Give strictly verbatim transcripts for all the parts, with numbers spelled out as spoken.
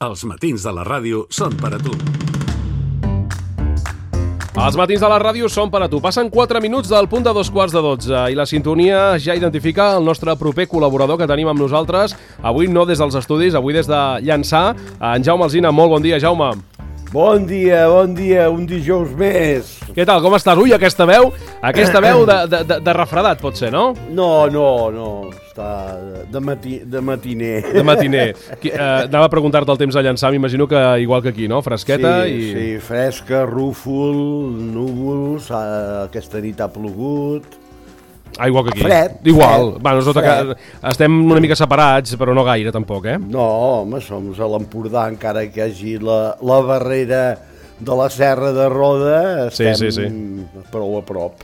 Els matins de la ràdio són per a tu. Els matins de la ràdio són per a tu. Passen quatre minuts del punt de dos quarts de dotze i la sintonia ja identifica el nostre proper col·laborador que tenim amb nosaltres. Avui no des dels estudis, avui des de Llançà. En Jaume Alsina, molt bon dia, Jaume. Bon dia, bon dia, un dijous més. Què tal, com estàs? Ui, aquesta veu, aquesta veu de, de, de, de refredat, pot ser, no? No, no, no, està de, mati, de matiner. De matiner. Qui, eh, anava a preguntar-te el temps a Llançà, m'imagino que igual que aquí, no? Fresqueta sí, i... Sí, fresca, rúfol, núvols, aquesta nit ha plogut. Ah, igual que aquí. Fred. Igual. Fred, bueno, sota que estem una mica separats, però no gaire, tampoc, eh? No, home, som a l'Empordà, encara que hi hagi la, la barrera de la Serra de Roda, estem sí, sí, sí. prou a prop.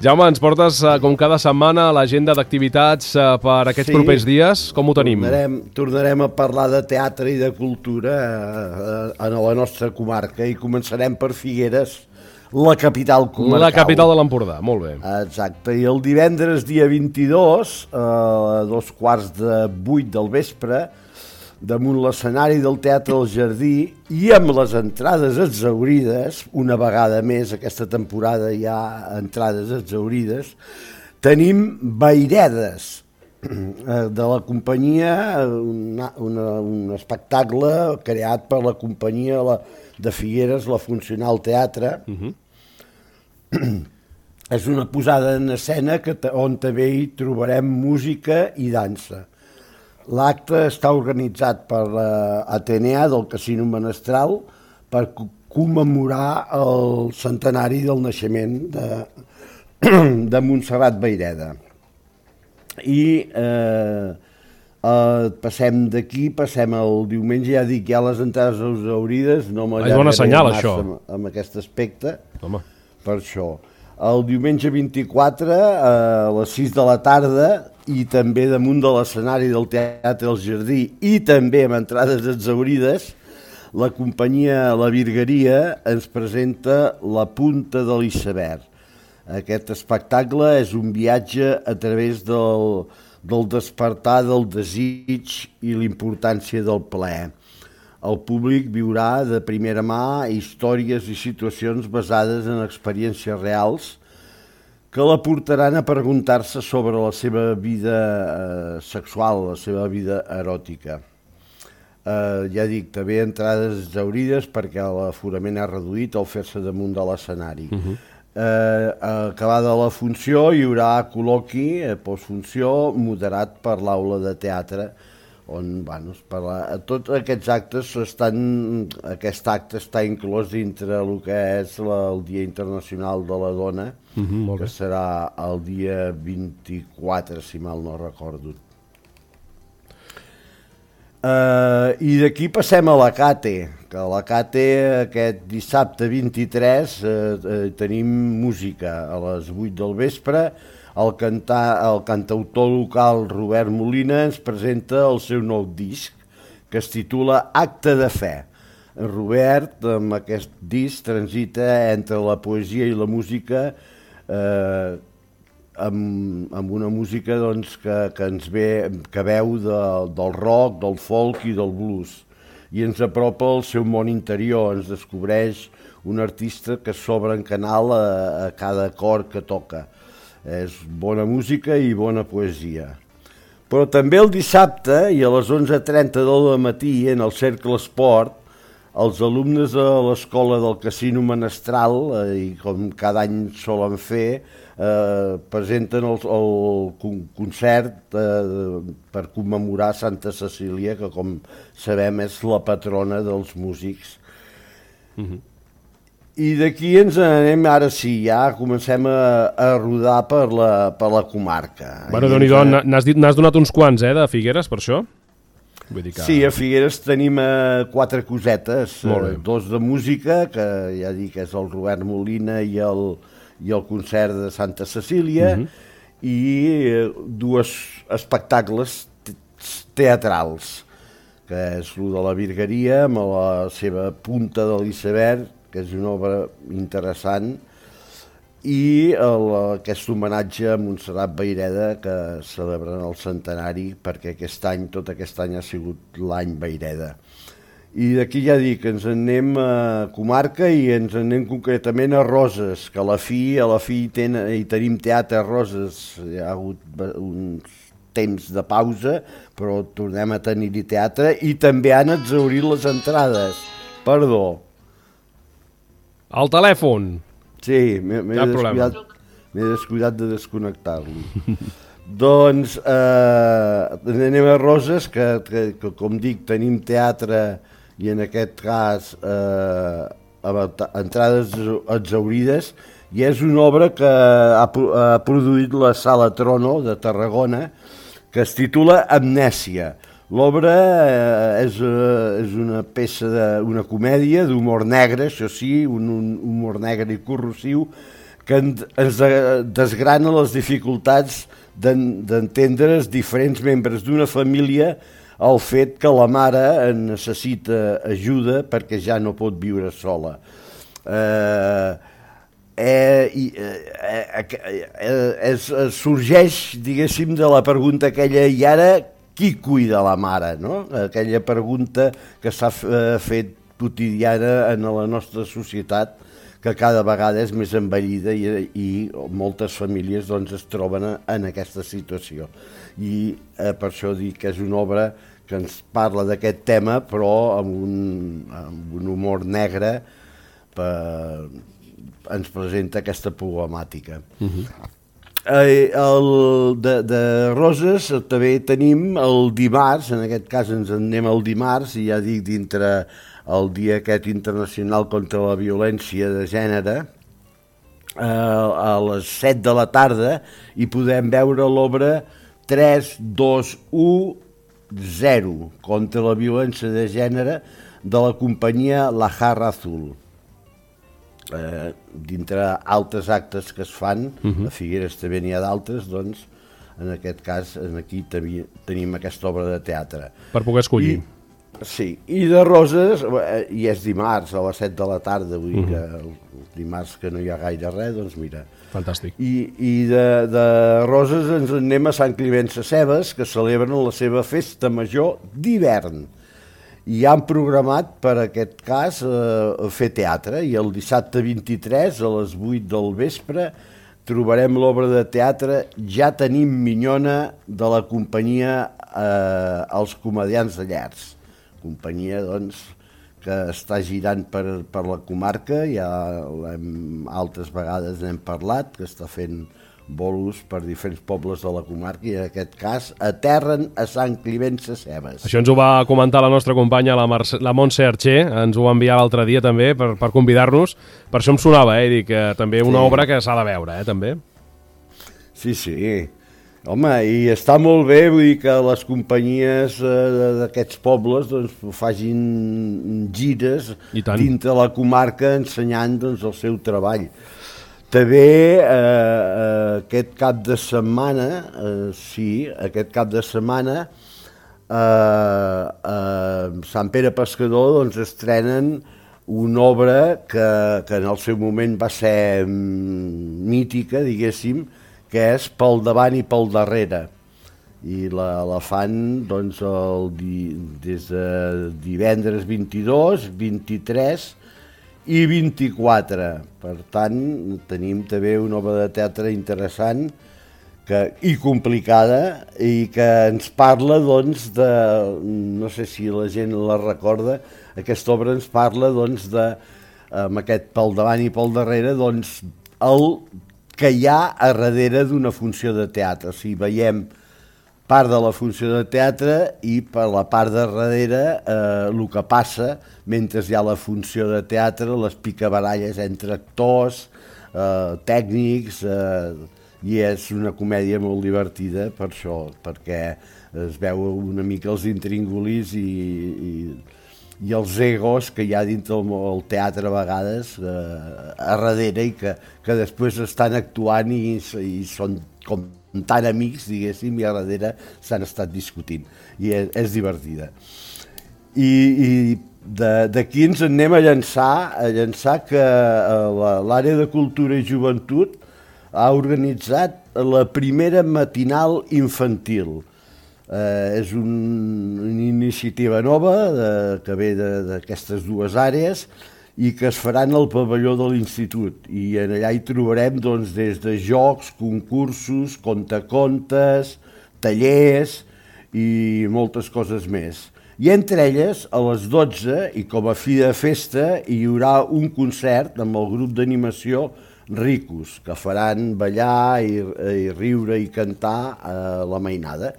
Jaume, ens portes, com cada setmana, l'agenda d'activitats per aquests sí, propers dies. Com ho tenim? Tornarem, tornarem a parlar de teatre i de cultura a la nostra comarca i començarem per Figueres, la capital comarcal. La capital de l'Empordà, molt bé. Exacte, i el divendres dia vint-i-dos, a dos quarts de vuit del vespre, damunt l'escenari del Teatre del Jardí i amb les entrades exhaurides, una vegada més aquesta temporada hi ha entrades exhaurides, tenim Vairedes, de la companyia, una, una, un espectacle creat per la companyia la, de Figueres, la Funcional Teatre. Uh-huh. És una posada en escena que, on també hi trobarem música i dansa. L'acte està organitzat per l'Atenea del Casino Menestral per commemorar el centenari del naixement de, de Montserrat Vaireda. I eh, eh, passem d'aquí, passem al diumenge, ja dic, ja les entrades exhaurides, no m'allargaré massa amb, amb aquest aspecte. Home. Per això. El diumenge vint-i-quatre, a les sis de la tarda, i també damunt de l'escenari del Teatre del Jardí, i també amb entrades exhaurides, la companyia La Virgueria ens presenta La Punta de l'Iceberg. Aquest espectacle és un viatge a través del, del despertar del desig i l'importància del plaer. El públic viurà de primera mà històries i situacions basades en experiències reals que la portaran a preguntar-se sobre la seva vida eh, sexual, la seva vida eròtica. Eh, ja dic, també entrades exhaurides perquè l'aforament ha reduït al fer-se damunt de l'escenari. Uh-huh. Eh, acabada la funció hi haurà col·loqui, eh, postfunció, moderat per l'aula de teatre, on bueno, parla, tots aquests actes estan, aquest acte està inclòs dintre el que és la, el Dia Internacional de la Dona, uh-huh, que serà el dia vint-i-quatre, si mal no recordo. Uh, I d'aquí passem a la Cate, que a la Cate aquest dissabte vint-i-tres uh, uh, tenim música a les vuit del vespre. El, cantar, el cantautor local Robert Molina ens presenta el seu nou disc, que es titula Acte de Fe. Robert, amb aquest disc, transita entre la poesia i la música, eh, amb, amb una música doncs, que, que ens ve, que veu de, del rock, del folk i del blues, i ens apropa al seu món interior, ens descobreix un artista que s'obre en canal a, a cada acord que toca. És bona música i bona poesia. Però també el dissabte, i a les onze trenta del matí, en el Cercle Esport, els alumnes de l'escola del Casino Menestral, eh, i com cada any solen fer, eh, presenten el, el concert eh, per commemorar Santa Cecília, que com sabem és la patrona dels músics. Uh-huh. I d'aquí ens anem, ara sí, ja comencem a, a rodar per la, per la comarca. Bueno, Déu-n'hi-do, a... n'has donat uns quants, eh, de Figueres, per això? Vull dir que... Sí, a Figueres tenim eh, quatre cosetes, eh, dos de música, que ja dic que és el Robert Molina i el, i el concert de Santa Cecília, uh-huh. i eh, dos espectacles teatrals, que és el de La Virgueria, amb la seva Punta de l'Iceberg, que és una obra interessant, i el, aquest homenatge a Montserrat Vaireda, que celebren el centenari, perquè aquest any, tot aquest any ha sigut l'any Vaireda. i d'aquí ja dic, ens en anem a comarca i ens en anem concretament a Roses, que a la fi, a la fi ten, hi tenim teatre a Roses, hi ha hagut uns temps de pausa, però tornem a tenir-hi teatre i també han exhaurit les entrades. Perdó. El telèfon. Sí, m'he descuidat, m'he descuidat de desconnectar-lo. Doncs eh, anem a Roses, que, que, que com dic tenim teatre i en aquest cas eh, entrades exhaurides, i és una obra que ha, ha produït la Sala Trono de Tarragona, que es titula Amnèsia. L'obra eh, és, eh, és una peça, de, una comèdia d'humor negre, això sí, un, un humor negre i corrosiu, que ens desgrana les dificultats d'entendre's diferents membres d'una família, el fet que la mare necessita ajuda perquè ja no pot viure sola. Eh, eh, eh, eh, es, sorgeix, diguéssim, de la pregunta aquella, i ara qui cuida la mare? No? Aquella pregunta que s'ha fet quotidiana en la nostra societat, que cada vegada és més envellida i, i moltes famílies doncs, es troben en aquesta situació. I eh, per això dic que és una obra que ens parla d'aquest tema, però amb un, amb un humor negre, per, ens presenta aquesta problemàtica. Uh-huh. eh, el, de, de Roses també tenim el dimarts, en aquest cas ens en anem el dimarts, i ja dic dintre el dia aquest internacional contra la violència de gènere, eh, a les set de la tarda, i podem veure l'obra tres dos u zero, contra la violència de gènere, de la companyia La Jarra Azul. Eh, dintre altres actes que es fan, uh-huh. A Figueres també n'hi ha d'altres, doncs, en aquest cas, aquí tenim aquesta obra de teatre. Per poder escollir. I, sí, i de Roses, i és dimarts a les set de la tarda, vull dir que el dimarts que no hi ha gaire res, doncs mira. Fantàstic. I, i de, de Roses ens anem a Sant Climent Sescebes, que celebren la seva festa major d'hivern. I han programat per aquest cas eh, fer teatre, i el dissabte vint-i-tres a les vuit del vespre trobarem l'obra de teatre Ja tenim minyona, de la companyia eh, Els Comediants de Llers. Companyia, doncs, que està girant per, per la comarca, ja hem, altres vegades n'hem parlat, que està fent bolos per diferents pobles de la comarca, i en aquest cas aterren a Sant Climent Sescebes. Això ens ho va comentar la nostra companya, la, Marce, la Montse Archer, ens ho va enviar l'altre dia també per, per convidar-nos, per això em sonava, eh, dic, que també una sí. obra que s'ha de veure, eh, també. Sí, sí. Home, i està molt bé, vull dir que les companyies eh, d'aquests pobles doncs, facin gires dintre la comarca ensenyant doncs, el seu treball. També eh, eh, aquest cap de setmana, eh, sí, aquest cap de setmana, eh, eh, Sant Pere Pescador doncs, estrenen una obra que, que en el seu moment va ser mítica, diguéssim, que és Pel davant i pel darrere. I la, la fan doncs, el, des de divendres vint-i-dos, vint-i-tres i vint-i-quatre. Per tant, tenim també una obra de teatre interessant que, i complicada, i que ens parla doncs, de, no sé si la gent la recorda, aquesta obra ens parla doncs, de, amb aquest Pel davant i pel darrere, doncs, el que hi ha a darrere d'una funció de teatre. O sigui, veiem part de la funció de teatre i per la part de darrere eh, el que passa mentre hi ha la funció de teatre, les picabaralles entre actors, eh, tècnics, eh, i és una comèdia molt divertida per això, perquè es veu una mica els intríngulis i, i i els egos que hi ha dintre el, el teatre a vegades eh, a darrere, i que, que després estan actuant i, i són com tan amics, diguéssim, i a darrere s'han estat discutint, i és, és divertida. I, i d'aquí ens anem a llançar, a llançar que l'àrea de cultura i joventut ha organitzat la primera matinal infantil. Eh, és un, una iniciativa nova de, que ve d'aquestes dues àrees i que es faran al pavelló de l'institut. I allà hi trobarem doncs, des de jocs, concursos, contacontes, tallers i moltes coses més. I entre elles, a les dotze, i com a fi de festa, hi haurà un concert amb el grup d'animació Ricos, que faran ballar i, i riure i cantar a la mainada.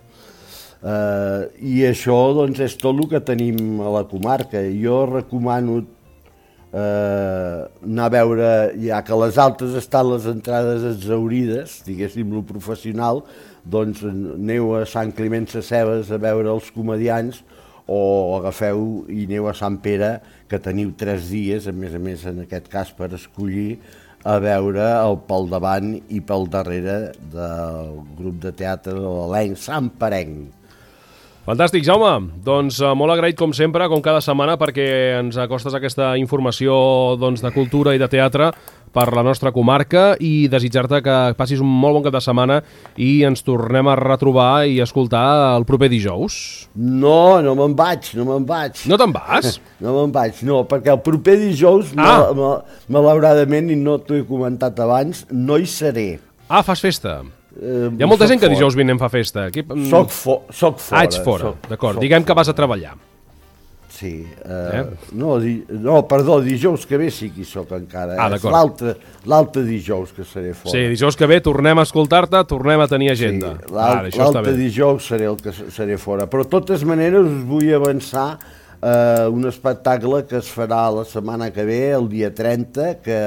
Uh, I això doncs, és tot el que tenim a la comarca. Jo recomano Uh, anar a veure, ja que a les altes estan les entrades exhaurides, diguéssim, lo professional, doncs aneu a Sant Climent Sescebes a veure els comediants o agafeu i aneu a Sant Pere, que teniu tres dies, a més a més en aquest cas per escollir, a veure el pel davant i pel darrere del grup de teatre de l'Elenc Sant Perenc. Fantàstic, Jaume. Doncs eh, molt agraït com sempre, com cada setmana, perquè ens acostes aquesta informació doncs, de cultura i de teatre per la nostra comarca i desitjar-te que passis un molt bon cap de setmana i ens tornem a retrobar i escoltar el proper dijous. No, no me'n vaig, no me'n vaig. No te'n vas? No me'n vaig, no, perquè el proper dijous, ah. malauradament, i no t'ho he comentat abans, no hi seré. Ah, fas festa. Uh, Hi ha molta gent que dijous vinent fa festa. Aquí... Soc, fo soc fora. Ah, ets fora, d'acord. Diguem que vas a treballar. Sí. Uh, eh? no, di no, perdó, dijous que ve sí que hi soc encara. Ah, d'acord. L'altre dijous que seré fora. Sí, dijous que ve tornem a escoltar-te, tornem a tenir agenda. Sí, l'altre dijous seré el que seré fora. Però de totes maneres us vull avançar uh, un espectacle que es farà la setmana que ve, el dia trenta, que,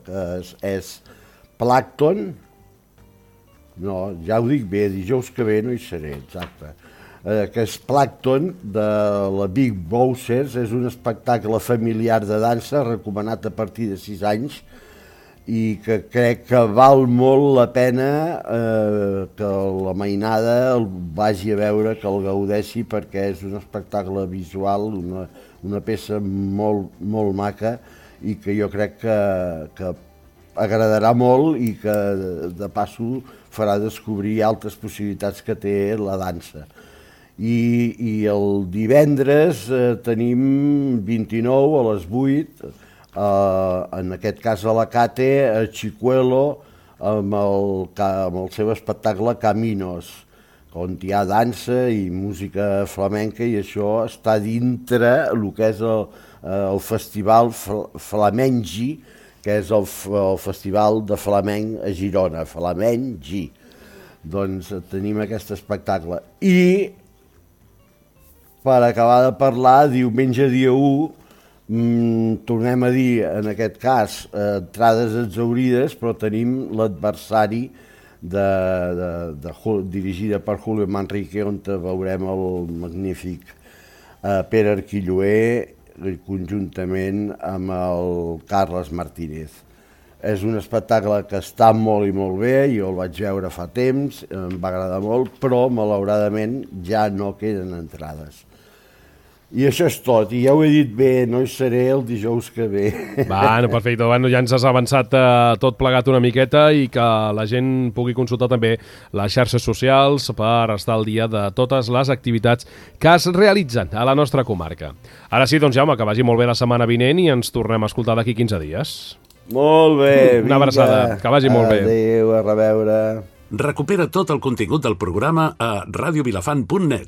que és, és Plàncton. No, ja ho dic bé, dijous que ve no hi seré, exacte. Eh, que és Plàncton, de la Big Bouncers, és un espectacle familiar de dansa recomanat a partir de sis anys i que crec que val molt la pena eh, que la mainada el vagi a veure, que el gaudeixi, perquè és un espectacle visual, una, una peça molt, molt maca i que jo crec que, que agradarà molt i que de passo farà descobrir altres possibilitats que té la dansa. I, i el divendres eh, tenim vint-i-nou a les vuit, eh, en aquest cas a la Cate, a Chicuelo, amb el, amb el seu espectacle Caminos, on hi ha dansa i música flamenca, i això està dintre el que és el, el festival Flamengi, que és el, el festival de flamenc a Girona, Flamengi. Doncs tenim aquest espectacle. I, per acabar de parlar, diumenge dia u, mmm, tornem a dir, en aquest cas, eh, entrades exhaurides, però tenim l'adversari de, de, de, de, dirigida per Julio Manrique, on veurem el magnífic eh, Pere Arquilloé, conjuntament amb el Carles Martínez. És un espectacle que està molt i molt bé, jo el vaig veure fa temps, em va agradar molt, però malauradament ja no queden entrades. I això és tot, i ja ho he dit bé, no hi seré el dijous que ve. Bueno, perfecte, bueno, ja ens has avançat eh, tot plegat una miqueta i que la gent pugui consultar també les xarxes socials per estar al dia de totes les activitats que es realitzen a la nostra comarca. Ara sí, doncs Jaume, que vagi molt bé la setmana vinent i ens tornem a escoltar d'aquí quinze dies. Molt bé, vinga. Una abraçada, que vagi molt bé. Adéu, a reveure. Recupera tot el contingut del programa a radiovilafant punt net.